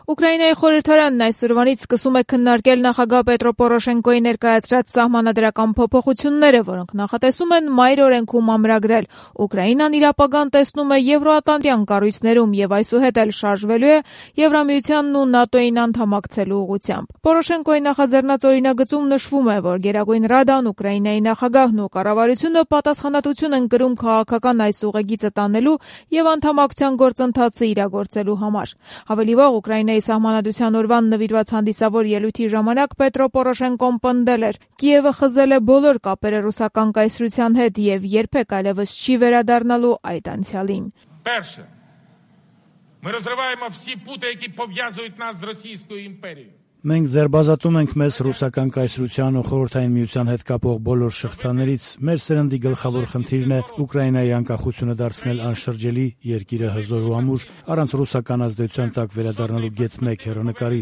Ուկրաինայի խորհրդարանն այսօրվանից սկսում է քննարկել նախագահ Պետրո Պորոշենկոյի ներկայացրած սահմանադրական փոփոխությունները, որոնք նախատեսում են մայր օրենքում ամրագրել. Ուկրաինան իր ապագան տեսնում է եվրոատլանտյան կառույցներում եւ այսուհետ էլ շարժվելու է Եվրամիությանն ու ՆԱՏՕ-ին անդամակցելու ուղղությամբ։ Պորոշենկոյի նախաձեռնած օրինագծում նշվում է, որ Գերագույն Ռադան, Ուկրաինայի նախագահն ու կառավարությունը պատասխանատվություն են կրում քաղաքական այս ուղեգիծը տանելու եւ անդամակցության գործընթացը իրագործելու համար։ Ավելի վաղ Ուկրաինայի սահմանադրության օրվան նվիրված հանդիսավոր ելույթի ժամանակ Պետրո Պորոշենկոն պնդել էր. Կիևը խզել է բոլոր կապերը ռուսական կայսրության հետ եւ երբեք այլևս չի վերադառնալու այդ անցյալին։ Перше. Ми розриваємо всі пути, які пов'язують нас з Російською імперією. Մենք ձերբազատում ենք մեզ ռուսական կայսրության ու խորհրդային միության հետ կապող բոլոր շղթաներից։ Մեր սերնդի գլխավոր խնդիրն է Ուկրաինայի անկախությունը դարձնել անշրջելի, երկիրը հզոր ու ամուր, առանց ռուսական ազդեցության տակ վերադառնալու գեթ 1 հեռանկարի։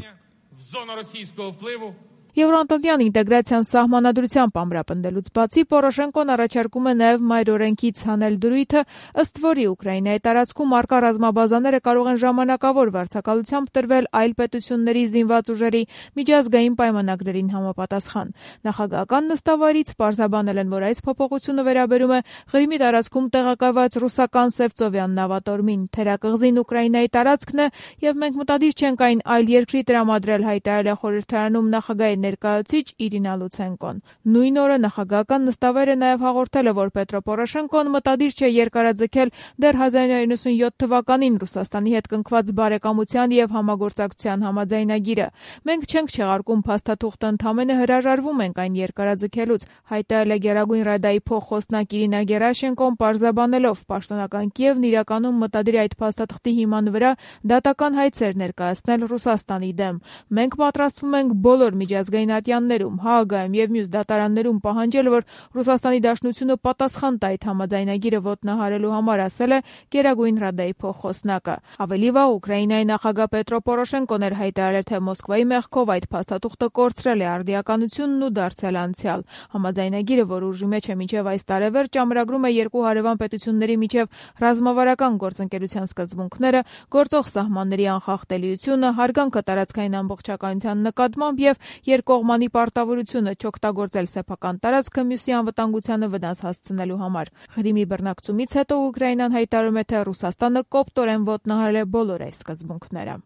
В зону російського впливу. Եվրոատլանտյան ինտեգրացիան սահմանադրությամբ ամրապնդելուց բացի Պորոշենկոն առաջարկում է նաև մայր օրենքից հանել դրույթը, ըստ որի Ուկրաինայի տարածքում առկա ռազմաբազաները կարող են ժամանակավոր վարձակալությամբ տրվել այլ պետությունների զինված ուժերի միջազգային պայմանագրերին համապատասխան։ Նախագահական նստավայրից պարզաբանել են, որ այս փոփոխությունը վերաբերում է Ղրիմի տարածքում տեղակայված ռուսական Սևծովյան նավատորմին։ Թերակղզին Ուկրաինայի տարածքն է եւ մենք մտադիր չենք այն այլ երկրի տրամադրել, հայտարարել է խորհրդարանում նախագահի ներկայացուցիչ Իրինա Լուցենկոն։ Նույն օրը նախագահական նստավայրը նաև հաղորդել է, որ Պետրո Պորոշենկոն մտադիր չէ երկարաձգել դեռ 1997 թվականին Ռուսաստանի հետ կնքված բարեկամության եւ համագործակցության համաձայնագիրը։ Մենք չենք չեղարկում փաստաթուղթը, ընդամենը հրաժարվում ենք այն երկարաձգելուց, հայտարարել է Գերագույն Ռադայի փոխխոսնակ Իրինա Գերաշենկոն, պարզաբանելով պաշտոնական Կիևն իրականում մտադիր այդ փաստաթղթի հիման վրա դատական հայցեր ներկայացնել Ռուսաստանի դեմ։ Մենք պատրաստվում ենք բոլոր միջազգային ատյաններում, Հաագայում եւ մյուս դատարաններում պահանջել, որ Ռուսաստանի Դաշնությունը պատասխան տա այդ համաձայնագիրը ոտնահարելու համար, ասել է Գերագույն Ռադայի փոխխոսնակը։ Ավելի վաղ Ուկրաինայի նախագահ Պետրո Պորոշենկոն էր հայտարարել, թե Մոսկվայի մեղքով այդ փաստաթուղթը կորցրել է արդիականությունն ու դարձել անցյալ։ Համաձայնագիրը, որ ուժի մեջ է մինչև այս տարեվերջ, ամրագրում է երկու հարևան պետությունների միջև ռազմավարական գործընկերության սկզբունքները, գործող սահմանների անխախտելիությունը, հարգանքը տարածքային ամբողջականության նկատմամբ եւ երկկողմանի պարտավորությունը չօգտագործել սեփական տարածքը մյուսի անվտանգությանը վնաս հասցնելու համար։ Ղրիմի բռնակցումից հետո Ուկրաինան հայտարարում է, թե Ռուսաստանը կոպտորեն ոտնահարել է բոլոր այս սկզբունքները։